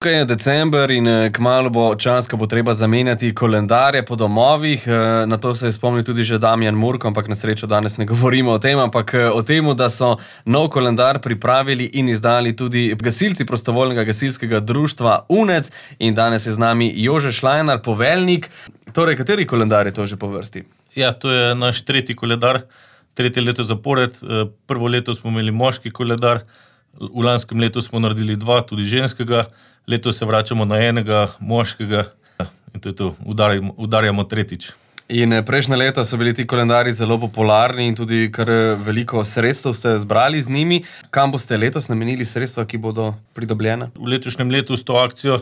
Tukaj je december in kmalu bo čas, ko bo treba zamenjati koledarje po domovih. Na to se je spomnil tudi že Damjan Murko, ampak na srečo danes ne govorimo o tem, ampak o tem, da so nov koledar pripravili in izdali tudi gasilci prostovoljnega gasilskega društva UNEC. In danes je z nami Jože Šlajnar, poveljnik. Torej, kateri koledar je to že po vrsti? Ja, to je naš tretji koledar, tretje leto zapored. Prvo leto smo imeli moški koledar, v lanskem letu smo naredili 2, tudi ženskega. Letos se vračamo na enega moškega in to je to, udarjamo tretjič. In prejšnje leto so bili ti koledarji zelo popularni in tudi kar veliko sredstev ste zbrali z njimi. Kam boste letos namenili sredstva, ki bodo pridobljena? V letošnjem letu s to akcijo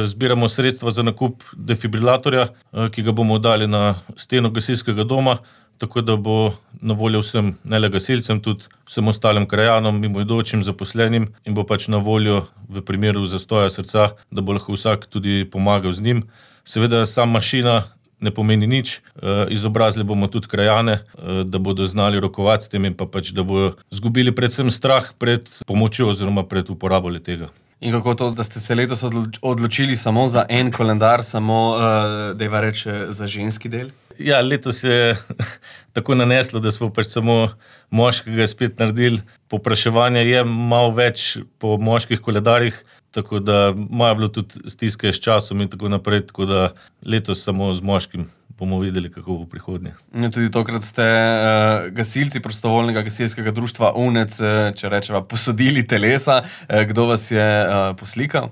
zbiramo sredstva za nakup defibrilatorja, ki ga bomo dali na steno gasilskega doma, tako da bo na voljo vsem, ne le gasilcem, tudi vsem ostalim krajanom, mimoidočim, zaposlenim in bo pač na voljo v primeru zastoja srca, da bo lahko vsak tudi pomagal z njim. Seveda sama mašina ne pomeni nič, izobrazili bomo tudi krajane, da bodo znali rokovati s tem in pa pač, da bodo zgubili predvsem strah pred pomočjo oziroma pred uporabo le-tega. In kako to, da ste se letos odločili samo za en koledar, samo, dajva reči, za ženski del? Ja, letos je tako naneslo, da smo pač samo moškega spet naredili. Povpraševanje je malo več po moških koledarjih, tako da imajo bilo tudi stiske s časom in tako naprej, tako da letos samo z moškim bomo videli, kako bo prihodnje. Tudi tokrat ste gasilci prostovoljnega gasilskega društva UNEC, če rečeva, posodili telesa. Kdo vas je poslikal?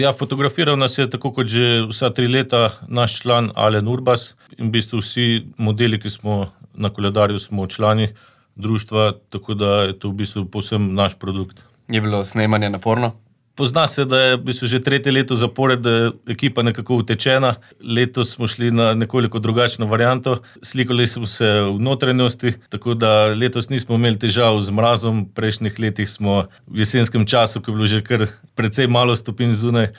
Ja, fotografiral nas je tako kot že vsa 3 leta naš član Alen Urbas in v bistvu vsi modeli, ki smo na koledarju, smo člani društva, tako da je to v bistvu povsem naš produkt. Je bilo snemanje naporno? Pozna se, da je v bistvu že 3. leto zapored, da je ekipa nekako utečena. Letos smo šli na nekoliko drugačno varianto. Slikali smo se v notranjosti, tako da letos nismo imeli težav z mrazom. V prejšnjih letih smo v jesenskem času, ko je bilo že kar precej malo stopinj zunaj,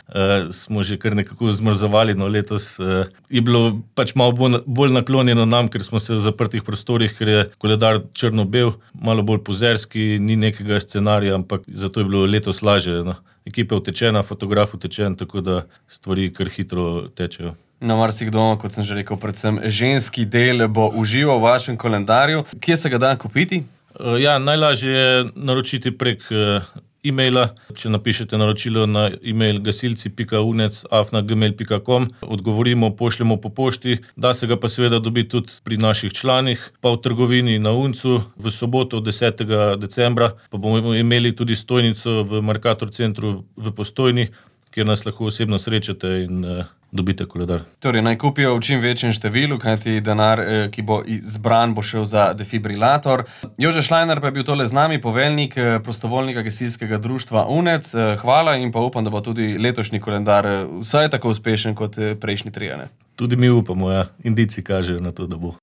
smo že kar nekako zmrzovali. No, letos je bilo pač malo bolj naklonjeno nam, ker smo se v zaprtih prostorih, ker je koledar črno-bel, malo bolj pozerski, ni nekega scenarija, ampak zato je bilo letos lažje. No. Ekipa je utečena, fotograf utečen, tako da stvari kar hitro tečejo. No, marsikdo, kot sem že rekel, predvsem ženski del bo užival v vašem koledarju. Kje se ga da kupiti? Ja, najlažje je naročiti prek e-maila. Če napišete naročilo na e-mail gasilci.unec@gmail.com, odgovorimo, pošljemo po pošti. Da se ga pa seveda dobiti tudi pri naših članih, pa v trgovini na Uncu. V soboto 10. decembra pa bomo imeli tudi stojnico v Mercator centru v Postojni, kjer nas lahko osebno srečate in dobite koledar. Torej, naj kupijo v čim večjem številu, kajti denar, ki bo zbran, bo šel za defibrilator. Jože Šlajnar pa je bil tole z nami, poveljnik prostovoljnega gasilskega društva UNEC. Hvala in pa upam, da bo tudi letošnji koledar vsaj tako uspešen kot prejšnji 3. Tudi mi upamo, ja. Indici kažejo na to, da bo.